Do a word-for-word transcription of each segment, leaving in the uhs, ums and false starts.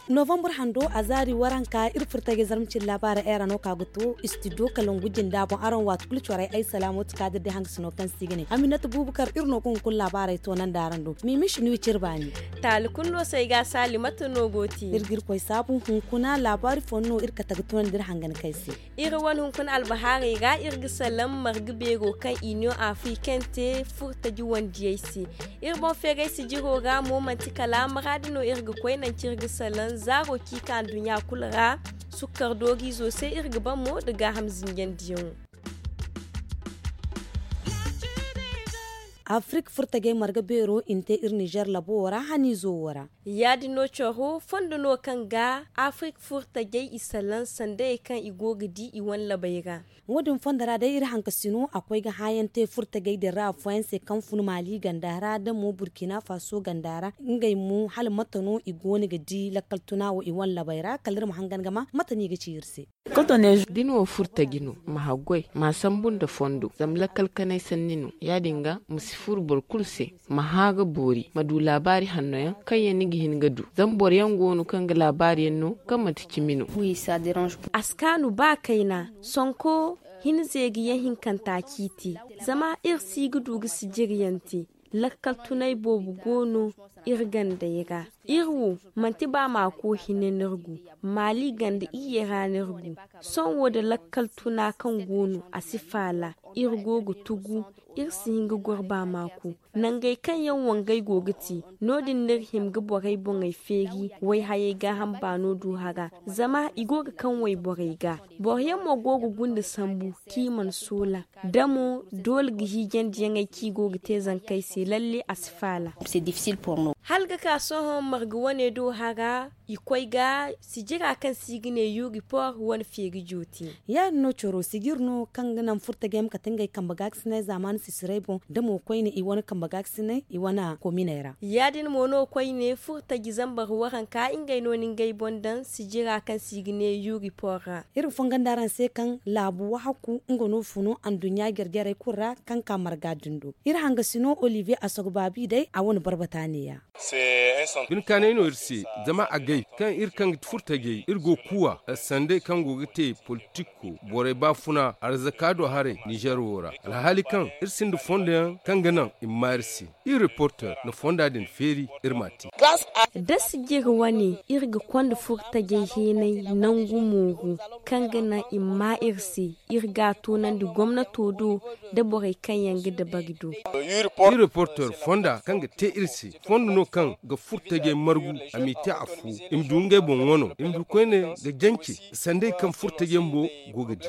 Novambar hando a zaari waranka iri furtajey zarma cine laabaarey ay ra no ka ga to istidiyo kalangu jinda boŋ araŋ waati kulu corey ay salaamo ti kaadir day hangasino kaŋ se i ga ne aminata buubakar iri no ga hunkuna laabaarey toonandi araŋ do. Miimi si no i cire baani. Taali kulu no se ay ga a saali mate no go ti iri ga irkoy saabu hunkuna laabaari fooyaŋ no iri kate ga tunandi iri hangan kay se. Iri wane hunkuna albahaarey ra iri ga salaŋ marga beero kaŋ iniyoŋ afriken te furtaji wandiyey se. Iri boŋ feeray sijiro ra mo manti kala maraadi no iri ga koy nanci iri ga salaŋ zaaro kaŋ i ka nduɲɲa kulu ra. Sukkar dooriizo se iri ga ban mo nda gaaham zinjandiyaŋo. Afirik furtajey marga beero i na te iri nizer labo wo ra haniizo wo ra. Ya- din no coro fondo no kaŋ ga afirik furtajey i salaŋ sandayey kaŋ i go ga di i wane labey ra. Wo- din fondo ra day iri hankasino a koy ga hããyaŋ te furtajey din ra afooyaŋ se kaŋ fun maali ganda ra da mo burkina faso ganda ra. Ngey mo hala mate no i go no ga di lakkal tuna wo i wane labey ra kala iri ma hangan ga ma mate no i ga ci iri se. Da ni wo furtaji no ma haggoy ma sambu nda fondo zama lakkal kanay sanni no. Ya- din ga ma si furu boro kulu se ma hã ga boori ma du laabaari hanno yaŋ kaŋ yaŋ ni ga hin ga du. Zama boro yaŋ go no kaŋ ga laabaari yaŋ no kaŋ manti cimi no. A si kaanu ba kayna sonko. Hinze ga yaŋ hinkanta ciiti zama iri si ga du ga sijiriyaŋ te. Lakkal tunay boobo go no iri gandey ra. Iri wo manti ba maako hine no iri gu. Maali ganda iyye ra no iri gu. Sohõ wo da lakkal tuna kaŋ go no a si faala. Iri go ga tugu. Iri si hin ga goro ba maako. Nangey kaŋ yaŋ wangey go ga te no- din no iri hima ga borey boŋey feeri. Wayhayey gaaham baano du hara zama i go ga kaŋ wayborey ga. Boro yaŋ mo go ga gunda sambu kaŋ i mana soola. Da mo doole ga hiijandiyaŋey kaŋ i go ga te zankey se lalle a si faala. Hala ga ka sohõ marga wane do hara. I koy ga sijira kaŋ se i ga ne yuri por wane feeri joote. Ya- din no coro sijir no kaŋ ga naŋ furtajey ma kate ngey kambe gaakasinay zaamaani sisirey boŋ da mo koyne i wane kambe gaakasinay i wane kominey ra. Ya- din mo no koyne furtaji zambar waranka ngey no na ngey boŋ daŋ sijira kaŋ se i ga ne yuri por ra. Iri ma fongondi araŋ se kaŋ laabu wahakku nga no funu anduɲɲa jare-jarey kulu ra kaŋ ka marga din do. Iri hangasino olivier asogobaabi day a wane barbata neeya. Binkaanay no iri se zama agay kaŋ iri kaŋ ga ti furtajey iri go kuuwa sandey kaŋ go ga te politiko borey baafuna arzaka do haray nizer wo ra alhaali kaŋ iri sinda fondo yaŋ kaŋ ga naŋ i ma maa iri se. Iri reporter na fonda din feeri iri m'a te. Da sijiri wane iri ga konda furtajey heenay nangu mooru kaŋ ga naŋ i ma maa iri se. Iri ga a toonandi gomnato do da borey kaŋ yaŋ ga dabari do. Iri reporter fonda kaŋ ga te iri se fondo no kaŋ ga furtajey margu a m'i te afo i ma du ngey boŋ wano i ma du koyne ga jance sandey kaŋ furtajey bumbo go ga di.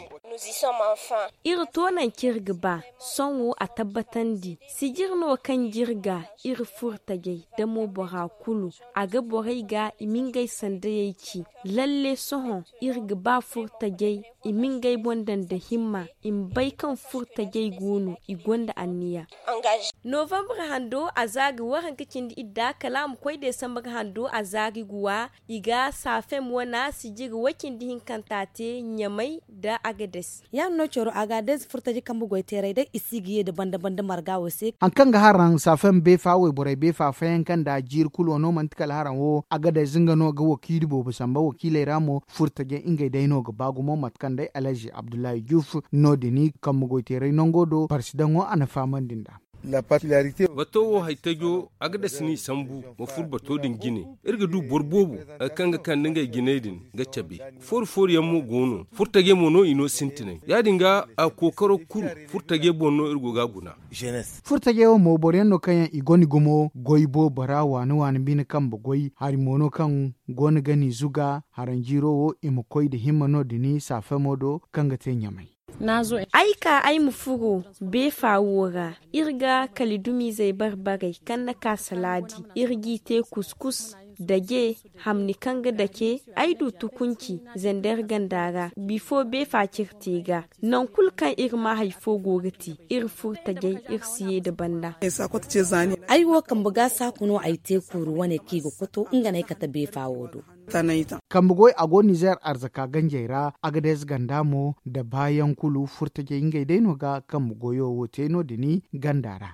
Iri to nanci iri ga ba sohõ a tabbatandi sijir no kaŋ jirga iri furtajey da mo bora kulu a ga borey ga i ma ngey sandayey ci. Lalle sohõ iri ga ba furtajey i ma ngey boŋ daŋ nda himma i ma bay kaŋ furtajey go no i gonda anniya. Novambar hando a zaari waranka cindi idda kala a ma koy desambar hando a zaari guwa. I ga safem wana sijiri way-cindi hinkanta te ɲamay nda agades. Ya- din no coro agades furtaji kambe goyteerey day i si ga ye nda banda-banda marga wo se. Hari kaŋ ga haraŋ safem beefa wayborey beefa fayanka nda jiiri kulo no manti kala haraŋ wo agades nga no ga wakiili boobo samba wakiiley ra mo furtajey ngey day no ga ba gumo mate kaŋ day alhaji abdullahi juuf no- din kambe goyteerey nango do parsidaŋo a na fahamandi nd'a. Bato wo haytajo a ga dasi n'i sambu ma fur bato din jine. Iri ga du boro boobo hari kaŋ ga kande ngey jiney din ga cabe. Fooru fooru yaŋ mo go no furtajey mo no i no sintinay ya- din ga a kookaro kulu furtajey boŋ no iri go ga a guna. Furtajey wo mo boro yaŋ no kaŋ yaŋ i gonda gumo goy boobo ra waani waani bine kambe goy hari mo no kaŋ go no ga n'i zuga haranjiiro wo i ma koy nda himma no- din saafemo do kaŋ ga te ɲamay. Ay ka ay ma furo beefa wo ra. Iri ga kalidumiizey bare-barey kaŋ na ka salaadi. Iri g'i te kuskus, daje, hamni kaŋ ga dake. Ay du tukunci zender ganda ra bifo beefa cire te ga. Nangu kulu kaŋ iri ma hari fo go ga te iri furo tajay iri si ye nda banda. Ay wo kambe ga saaku no ay te kuuru wane kaŋ i ga koto nga no ay kate beefa wo do. Kambe goy a go nizer arzaka ganjey ra agades ganda mo nda baayaŋ kulu furtajey ngey day no ga kambe goyo wo te no- din ganda ra.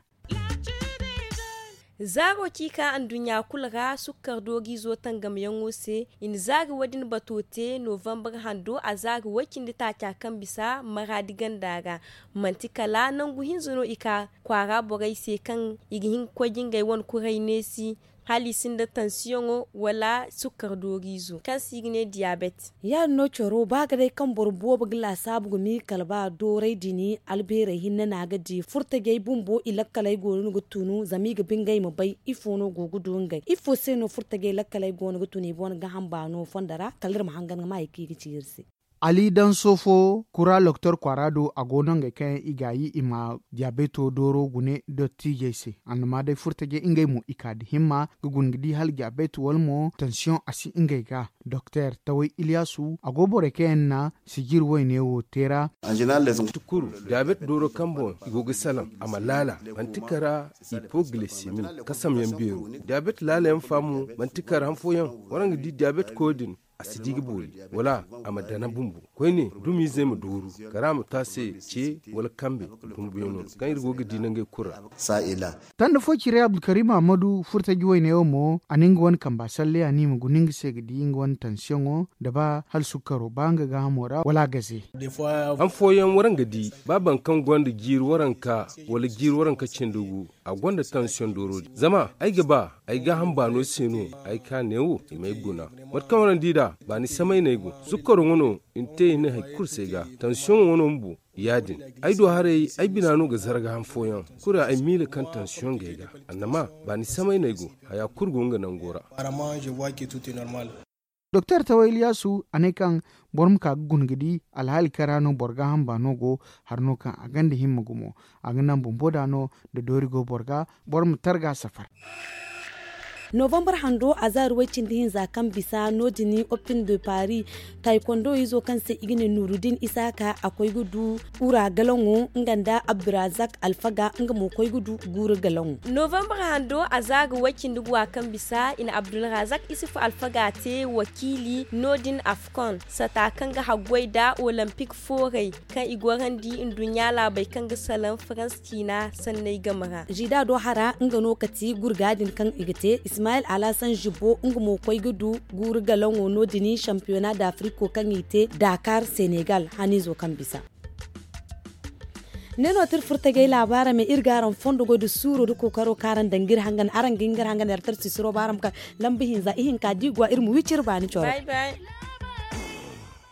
Zaaro ci ka nduɲɲa kulu ra sukkar dooriizo tangamyaŋo se. I na zaari wo- din bato te novambar hando a zaari way-cindi taaca kaŋ bisa maraadi ganda ra. Manti kala nangu hinza no i ka kwaara borey se kaŋ i ga hin ga koy ga ngey wane kuray neesi, hala i sinda tansiyoŋo wala sukkar dooriizo kaŋ se i ga ne diyaabet. Ya- din no coro ba ga day kaŋ boro boobo ga laasaabu ga miila kala ba dooray din albeerey hinne no a ga di furtajey bumbo i lakkaley go no ga tunu zama i ga ba ngey ma bay ifo no go ga du ngey ifo se no furtajey lakkaley go no ga tunu i boŋ gaham baano fondo ra kala iri ma hangan ga ma hari kaŋ i ga ci iri se. Ali danso fo kura loktor kwaara do a go no ngey kaŋ yaŋ i gaayi i ma diyabeto dooro gune dottiijey se. Annama day furtajey ngey mo i ka da himma ga guna ga di hala diyabeto wala mo tansiyoŋ a si ngey ga. Doktor taway iliyasu a go borey kaŋ yaŋ na sijir wayne wo te ra. Kulu diyabeto dooro kaŋ boŋ i go ga salaŋ a ma laala manti kara ipoglisemi kasamyaŋ beero. Diyabeto laalayaŋ fa mo manti kara han fooyaŋ waraŋ ga di diyabeto koy din a si di ga boori wala a ma dana bumbo koyne dumiizey ma dooru kara ma to a se ce wala kambe bumbuyaŋo kaŋ iri go ga di nangey kulu ra. Tanda fo cire abdulkarim ahmadu furtaji wayne wo mo a na nga wane kamba salleya no i ma guna nga se ga di nga wane tansiyoŋo nda ba hala sukkaro ba nga gaahamo ra wala a gaze. Han fooyaŋ waraŋ ga di ba boro kaŋ gonda jiiri waranka wala jiiri waranka cindi gu a gonda tansiyoŋ dooro din zama ay ga ba ay gaaham baano se no ay ka neewo i m'ay guna. Mate kaŋ waraŋ di nd'a baani samay no ay go sukkaro ŋwa no i na te i ne hari kulu se ga tansiyoŋo ŋwa no bumbo. Ya- din ay du haray ay bina no ga zarga han fooyaŋ kulu ra ay miila kaŋ tansiyoŋ ga ay ga annama baani samay no ay go haya kulu go nga nango ra. Doktor tawa iliyasu a ne kaŋ boro ma ka ga guna ga di alhaali kaŋ ra no boro gaaham baano go hari no kaŋ a gonda himma gumo a ga naŋ bumbo da no da doori go boro ga boro ma targa safar. Novambar hando a zaari way-cindi hinza kaŋ bisa no- din opin de paris taykondo izo kaŋ se i ga ne nurudin isaaka a koy ga du ura galaŋo nga nda abdurazak alfaga nga mo koy ga du guura galaŋo. Novambar hando a zaari way-cindi guwa kaŋ bisa i na abdulrazak isufu alfaga te wakiili no- din afkon sata kaŋ ga haggoy nda olympic fooray kaŋ i gorandi nduɲɲa laabey kaŋ ga salaŋ farans ciina sanney game ra. Zida do hara nga no kati gurga din kaŋ i ga te ismail alhassan zibo nga mo koy ga du guuru galaŋo no- din championnat d'afrique kaŋ i te dakar senegal hanizo kaŋ bisa. Ne no ti iri furtagay laabaara me iri ga araŋ fondo goy da suuro da kookaro kaŋ araŋ daŋ ga iri hangan araŋ ga hin ga iri hangan yar tarsi siro ba araŋ ma ka lamba hinza ihinka da i go a iri ma wiciri baani coro.